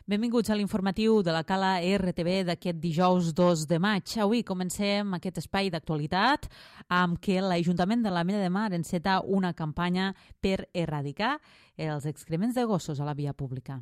Benvinguts a l'informatiu de la Cala RTV d'aquest dijous 2 de maig. Avui comencem aquest espai d'actualitat amb què l'Ajuntament de l'Ametlla de Mar enceta una campanya per erradicar els excrements de gossos a la via pública.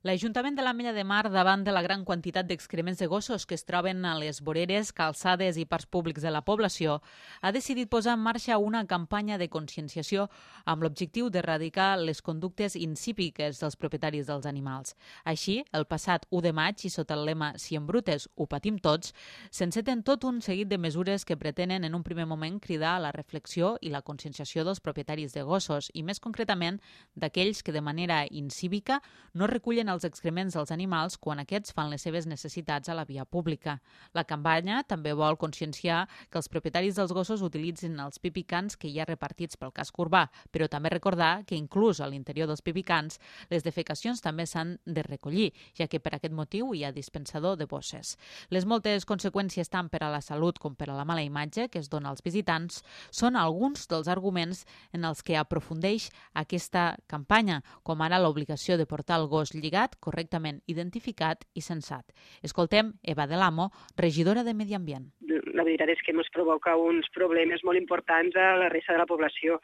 L'Ajuntament de l'Ametlla de Mar, davant de la gran quantitat d'excrements de gossos que es troben a les voreres, calçades i parcs públics de la població, ha decidit posar en marxa una campanya de conscienciació amb l'objectiu d'erradicar les conductes insípiques dels propietaris dels animals. Així, el passat 1 de maig, i sota el lema «Si embrutes, ho patim tots», s'enceten tot un seguit de mesures que pretenen en un primer moment cridar a la reflexió i la conscienciació dels propietaris de gossos i, més concretament, d'aquells que de manera incívica no recullen els excrements dels animals quan aquests fan les seves necessitats a la via pública. La campanya també vol conscienciar que els propietaris dels gossos utilitzin els pipicans que hi ha repartits pel casc urbà, però també recordar que inclús a l'interior dels pipicans les defecacions també s'han de recollir, ja que per aquest motiu hi ha dispensador de bosses. Les moltes conseqüències tant per a la salut com per a la mala imatge que es dona als visitants són alguns dels arguments en els que aprofundeix aquesta campanya, com ara l'obligació de portar el gos lligat, correctament identificat i censat. Escoltem Eva de l'Amo, regidora de Medi Ambient. La veritat és que ens provoca uns problemes molt importants a la resta de la població,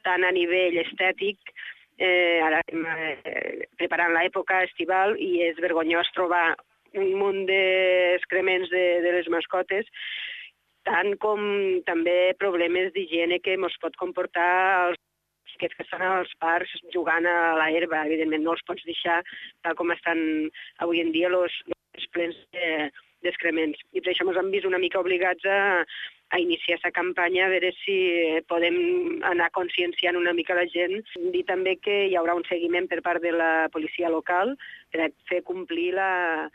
tant a nivell estètic, ara estem preparant l'època estival i és vergonyós trobar un munt d'excrements de les mascotes, tant com també problemes d'higiene que ens pot comportar aquests que estan als parcs jugant a l'herba. Evidentment no els pots deixar tal com estan avui en dia els plens d'excrements. I per això ens hem vist una mica obligats a iniciar aquesta campanya, a veure si podem anar conscienciant una mica la gent. Dir també que hi haurà un seguiment per part de la policia local per fer complir la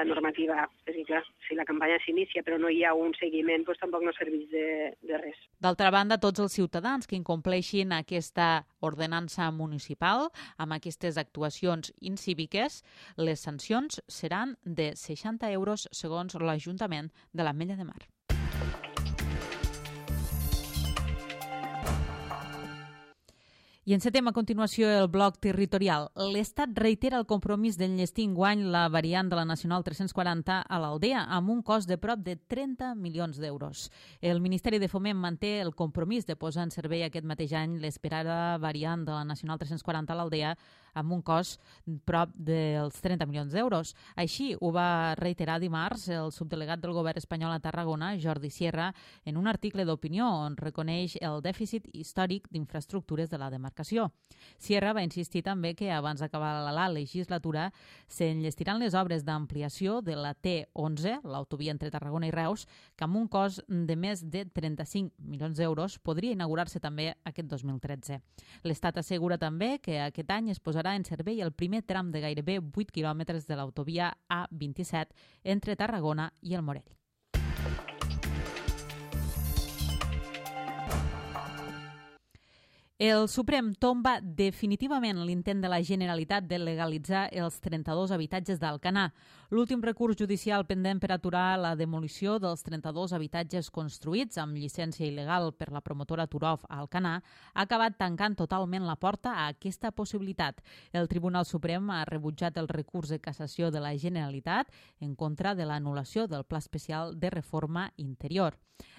normativa. És clar, si la campanya s'inicia però no hi ha un seguiment, doncs tampoc no serveix de res. D'altra banda, tots els ciutadans que incompleixin aquesta ordenança municipal amb aquestes actuacions incíviques, les sancions seran de 60 euros segons l'Ajuntament de l'Ametlla de Mar. I encetem a continuació el bloc territorial. L'Estat reitera el compromís d'enllestir enguany la variant de la Nacional 340 a l'Aldea amb un cost de prop de 30 milions d'euros. El Ministeri de Foment manté el compromís de posar en servei aquest mateix any l'esperada variant de la Nacional 340 a l'Aldea amb un cost prop dels 30 milions d'euros. Així ho va reiterar dimarts el subdelegat del govern espanyol a Tarragona, Jordi Sierra, en un article d'opinió on reconeix el dèficit històric d'infraestructures de la demarcació. Sierra va insistir també que abans d'acabar la legislatura s'enllestiran les obres d'ampliació de la T11, l'autovia entre Tarragona i Reus, que amb un cost de més de 35 milions d'euros podria inaugurar-se també aquest 2013. L'Estat assegura també que aquest any es posarà en servei el primer tram de gairebé 8 quilòmetres de l'autovia A27 entre Tarragona i el Morell. El Suprem tomba definitivament l'intent de la Generalitat de legalitzar els 32 habitatges d'Alcanar. L'últim recurs judicial pendent per aturar la demolició dels 32 habitatges construïts amb llicència il·legal per la promotora Turov a Alcanar ha acabat tancant totalment la porta a aquesta possibilitat. El Tribunal Suprem ha rebutjat el recurs de cassació de la Generalitat en contra de l'anul·lació del Pla Especial de Reforma Interior.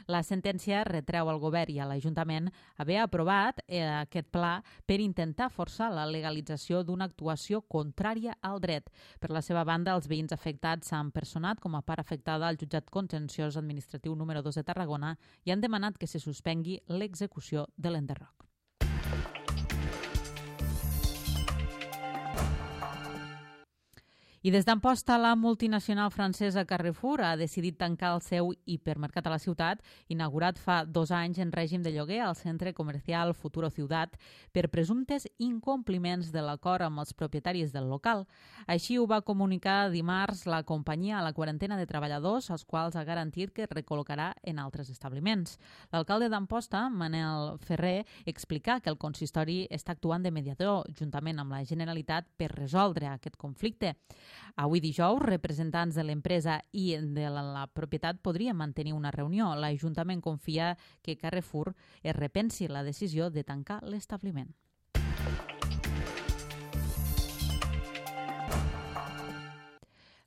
La sentència retreu al govern i a l'Ajuntament haver aprovat aquest pla per intentar forçar la legalització d'una actuació contrària al dret. Per la seva banda, els veïns afectats s'han personat com a part afectada al jutjat contenciós administratiu número 2 de Tarragona i han demanat que se suspengui l'execució de l'enderroc. I des d'Amposta, la multinacional francesa Carrefour ha decidit tancar el seu hipermercat a la ciutat, inaugurat fa 2 anys en règim de lloguer al centre comercial Futuro Ciutat, per presumptes incompliments de l'acord amb els propietaris del local. Així ho va comunicar dimarts la companyia a la quarantena de treballadors, als quals ha garantit que es recol·locarà en altres establiments. L'alcalde d'Amposta, Manel Ferrer, explica que el consistori està actuant de mediador juntament amb la Generalitat per resoldre aquest conflicte. Avui dijous, representants de l'empresa i de la propietat podrien mantenir una reunió. L'Ajuntament confia que Carrefour es repensi la decisió de tancar l'establiment.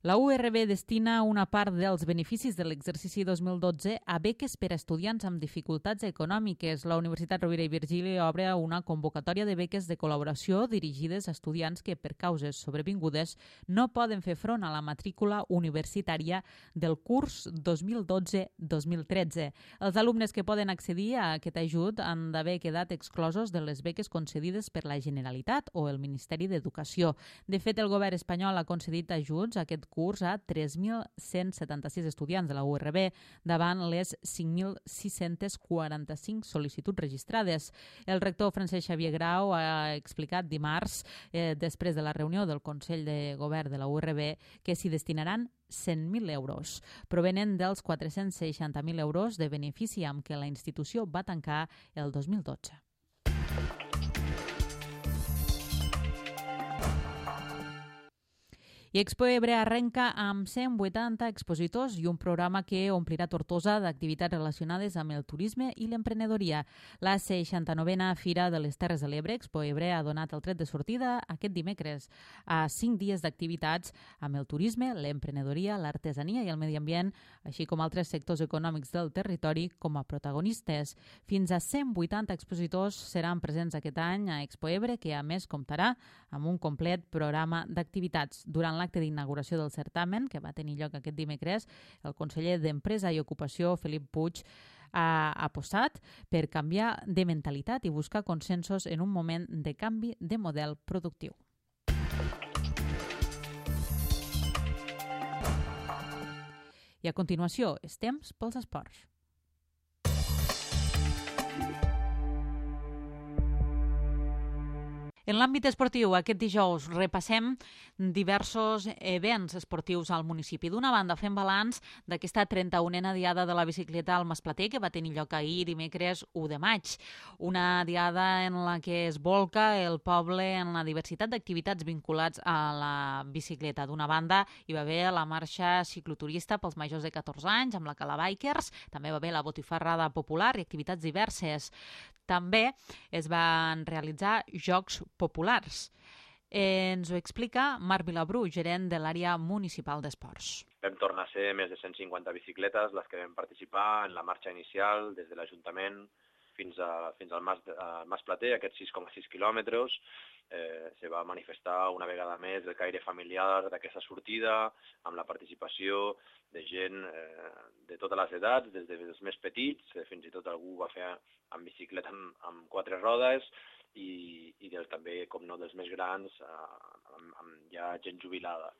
La URB destina una part dels beneficis de l'exercici 2012 a beques per a estudiants amb dificultats econòmiques. La Universitat Rovira i Virgili obre una convocatòria de beques de col·laboració dirigides a estudiants que, per causes sobrevingudes, no poden fer front a la matrícula universitària del curs 2012-2013. Els alumnes que poden accedir a aquest ajut han d'haver quedat exclosos de les beques concedides per la Generalitat o el Ministeri d'Educació. De fet, el govern espanyol ha concedit ajuts a aquest curs a 3.176 estudiants de la URB davant les 5.645 sol·licituds registrades. El rector Francesc Xavier Grau ha explicat dimarts, després de la reunió del Consell de Govern de la URB, que s'hi destinaran 100.000 euros. Provenen dels 460.000 euros de benefici amb què la institució va tancar el 2012. I Expo Ebre arrenca amb 180 expositors i un programa que omplirà Tortosa d'activitats relacionades amb el turisme i l'emprenedoria. La 69a Fira de les Terres de l'Ebre, Expo Ebre, ha donat el tret de sortida aquest dimecres a 5 dies d'activitats amb el turisme, l'emprenedoria, l'artesania i el medi ambient, així com altres sectors econòmics del territori com a protagonistes. Fins a 180 expositors seran presents aquest any a Expo Ebre, que a més comptarà amb un complet programa d'activitats. Durant l'acte d'inauguració del certamen, que va tenir lloc aquest dimecres, el conseller d'Empresa i Ocupació, Felip Puig, ha apostat per canviar de mentalitat i buscar consensos en un moment de canvi de model productiu. I a continuació, és temps pels esports. En l'àmbit esportiu, aquest dijous repassem diversos events esportius al municipi. D'una banda, fem balanç d'aquesta 31a diada de la bicicleta al Masplater, que va tenir lloc ahir, dimecres 1 de maig. Una diada en la que es volca el poble en la diversitat d'activitats vinculats a la bicicleta. D'una banda, hi va haver la marxa cicloturista pels majors de 14 anys, amb la Cala Bikers, també va haver la botifarrada popular i activitats diverses. També es van realitzar jocs populars. Ens ho explica Marc Vilabrú, gerent de l'àrea municipal d'esports. Vam tornar a ser més de 150 bicicletes les que vam participar en la marxa inicial des de l'Ajuntament fins al Masplater, aquests 6,6 quilòmetres. Se va manifestar una vegada més el caire familiar d'aquesta sortida, amb la participació de gent de totes les edats, des dels més petits, fins i tot algú va fer amb bicicleta amb 4 rodes, i també, com no, dels més grans, amb ja gent jubilada.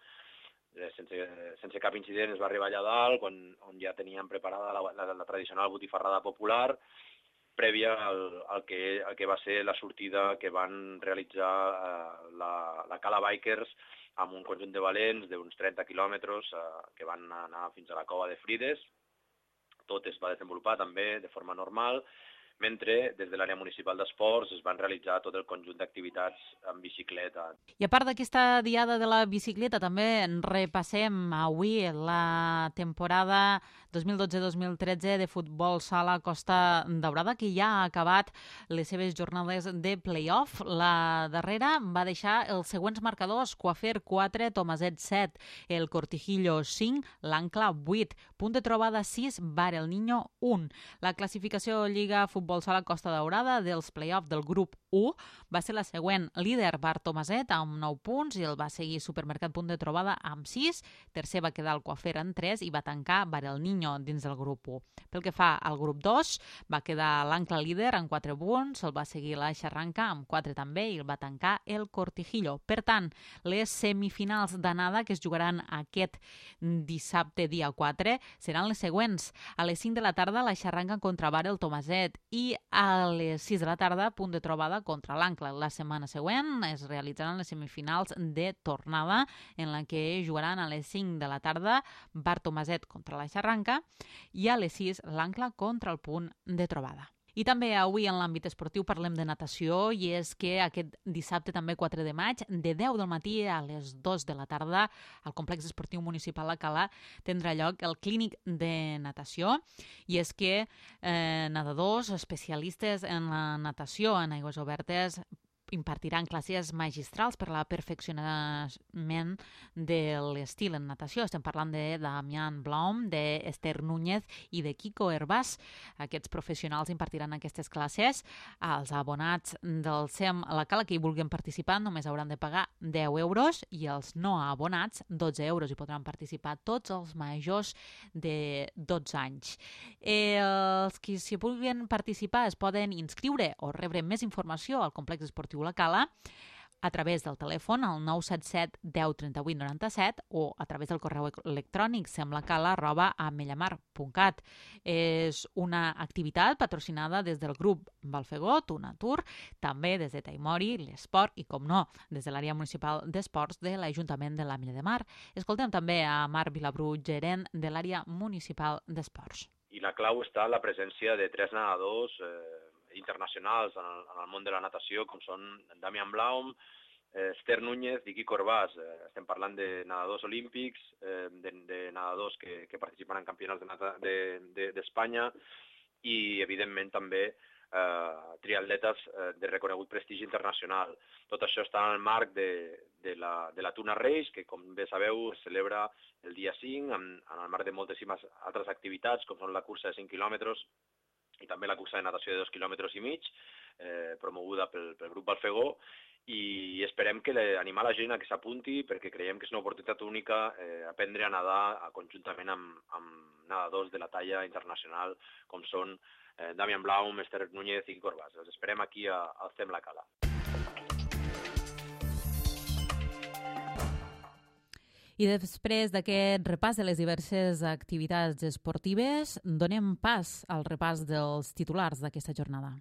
Sense cap incident es va arribar allà dalt, on ja teníem preparada la tradicional botifarrada popular, prèvia al que va ser la sortida que van realitzar la Cala Bikers amb un conjunt de valents d'uns 30 quilòmetres que van anar fins a la cova de Frides. Tot es va desenvolupar també de forma normal, mentre des de l'àrea municipal d'esports es van realitzar tot el conjunt d'activitats en bicicleta. I a part d'aquesta diada de la bicicleta, també repassem avui la temporada 2012-2013 de futbol sala Costa Daurada, que ja ha acabat les seves jornades de play-off. La darrera va deixar els següents marcadors: Coafer 4, Tomaset 7, el Cortijillo 5, l'Ancla 8, Punt de Trobada 6, Bar el Niño 1. La classificació Lliga Futbol Sala Costa Daurada dels play-off del grup 1 va ser la següent: líder Bar Tomaset amb 9 punts i el va seguir Supermercat Punt de Trobada amb 6, tercer va quedar el Coafer amb 3 i va tancar Bar el Niño dins del grup 1. Pel que fa al grup 2, va quedar l'Ancla líder amb 4 punts, el va seguir la Xarranca amb 4 també i el va tancar el Cortijillo. Per tant, les semifinals d'anada que es jugaran aquest dissabte dia 4 seran les següents: a les 5 de la tarda la Xarranca contra Bar el Tomaset i a les 6 de la tarda Punt de Trobada contra l'Ancla. La setmana següent es realitzaran les semifinals de tornada, en la que jugaran a les 5 de la tarda Bar Tomaset contra la Xarranca i a les 6 l'Ancla contra el Punt de Trobada. I també avui en l'àmbit esportiu parlem de natació i és que aquest dissabte també 4 de maig de 10 del matí a les 2 de la tarda al complex esportiu municipal Alcalà tindrà lloc el clínic de natació i és que nedadors especialistes en la natació en aigües obertes impartiran classes magistrals per a la perfeccionament de l'estil en natació. Estem parlant de Damián Blom, d'Esther Núñez i de Kiko Hervás. Aquests professionals impartiran aquestes classes. Els abonats del SEM a la Cala que hi vulguin participar només hauran de pagar 10 euros i els no abonats 12 euros. Hi podran participar tots els majors de 12 anys. Els que s'hi vulguin participar es poden inscriure o rebre més informació al complex esportiu La Cala a través del telèfon al 977 10 38 97 o a través del correu electrònic semlacala@amellamar.cat. És una activitat patrocinada des del grup Valfegot, una tour, també des de Taimori, l'Esport i, com no, des de l'àrea municipal d'esports de l'Ajuntament de l'Ametlla de Mar. Escoltem també a Marc Vilabrú, gerent de l'àrea municipal d'esports. I la clau està en la presència de 3 nedadors internacionals en el món de la natació, com són Damián Blom, Esther Núñez i Kiko Hervás. Estem parlant de nedadors olímpics, de nedadors que participen en campionats d'Espanya i, evidentment, també triatletes de reconegut prestigi internacional. Tot això està en el marc de la Tuna Race, que, com bé sabeu, es celebra el dia 5, en el marc de moltíssimes altres activitats, com són la cursa de 5 quilòmetres, i també la cursa de natació de 2,5 quilòmetres, promoguda pel grup Valfegó, i esperem animar la gent a que s'apunti perquè creiem que és una oportunitat única aprendre a nedar conjuntament amb nedadors de la talla internacional com són Damián Blom, Esther Núñez i Kiko Hervás. Els esperem aquí al SEM La Cala. I després d'aquest repàs de les diverses activitats esportives, donem pas al repàs dels titulars d'aquesta jornada.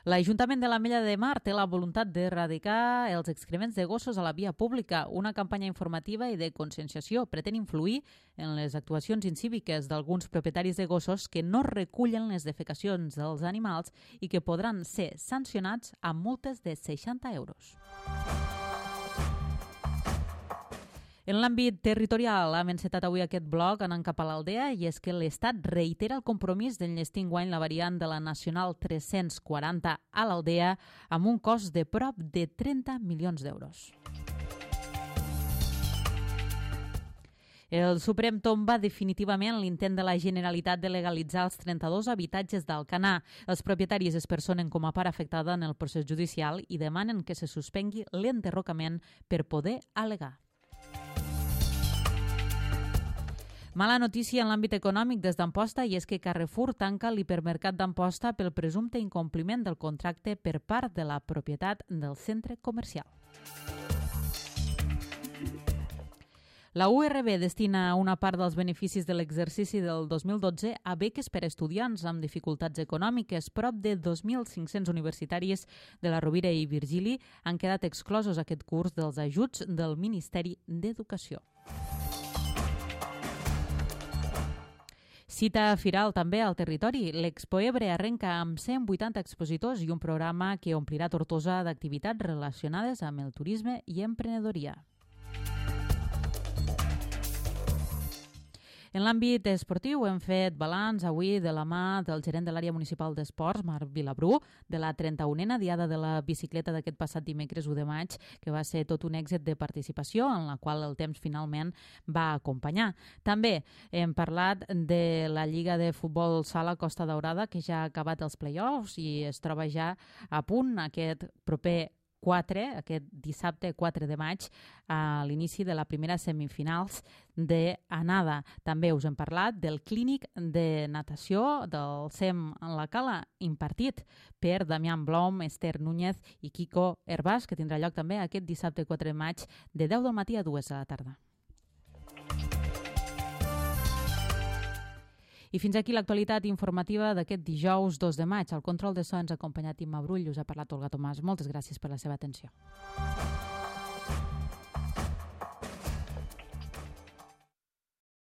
L'Ajuntament de l'Ametlla de Mar té la voluntat d'erradicar els excrements de gossos a la via pública. Una campanya informativa i de conscienciació pretén influir en les actuacions incíviques d'alguns propietaris de gossos que no recullen les defecacions dels animals i que podran ser sancionats amb multes de 60 euros. En l'àmbit territorial hem encetat avui aquest bloc anant cap a l'Aldea i és que l'Estat reitera el compromís d'enllestir enguany la variant de la Nacional 340 a l'Aldea amb un cost de prop de 30 milions d'euros. El Suprem tomba definitivament l'intent de la Generalitat de legalitzar els 32 habitatges d'Alcanar. Els propietaris es personen com a part afectada en el procés judicial i demanen que se suspengui l'enderrocament per poder al·legar. Mala notícia en l'àmbit econòmic des d'Amposta i és que Carrefour tanca l'hipermercat d'Amposta pel presumpte incompliment del contracte per part de la propietat del centre comercial. La URB destina una part dels beneficis de l'exercici del 2012 a beques per a estudiants amb dificultats econòmiques. Prop de 2.500 universitaris de la Rovira i Virgili han quedat exclosos aquest curs dels ajuts del Ministeri d'Educació. Cita firal també al territori. L'Expo Ebre arrenca amb 180 expositors i un programa que omplirà Tortosa d'activitats relacionades amb el turisme i emprenedoria. En l'àmbit esportiu hem fet balanç avui de la mà del gerent de l'àrea municipal d'esports, Marc Vilabrú, de la 31a diada de la bicicleta d'aquest passat dimecres 1 de maig, que va ser tot un èxit de participació, en la qual el temps finalment va acompanyar. També hem parlat de la Lliga de Futbol Sala Costa Daurada, que ja ha acabat els play-offs i es troba ja a punt aquest proper aquest dissabte 4 de maig a l'inici de la primera semifinals d'anada. També us hem parlat del clínic de natació del SEM en la Cala impartit per Damián Blom, Esther Núñez i Kiko Hervás, que tindrà lloc també aquest dissabte 4 de maig de 10 del matí a 2 de la tarda. I fins aquí l'actualitat informativa d'aquest dijous 2 de maig. Al control de so ens ha acompanyat Imma Brull, us ha parlat Olga Tomàs. Moltes gràcies per la seva atenció.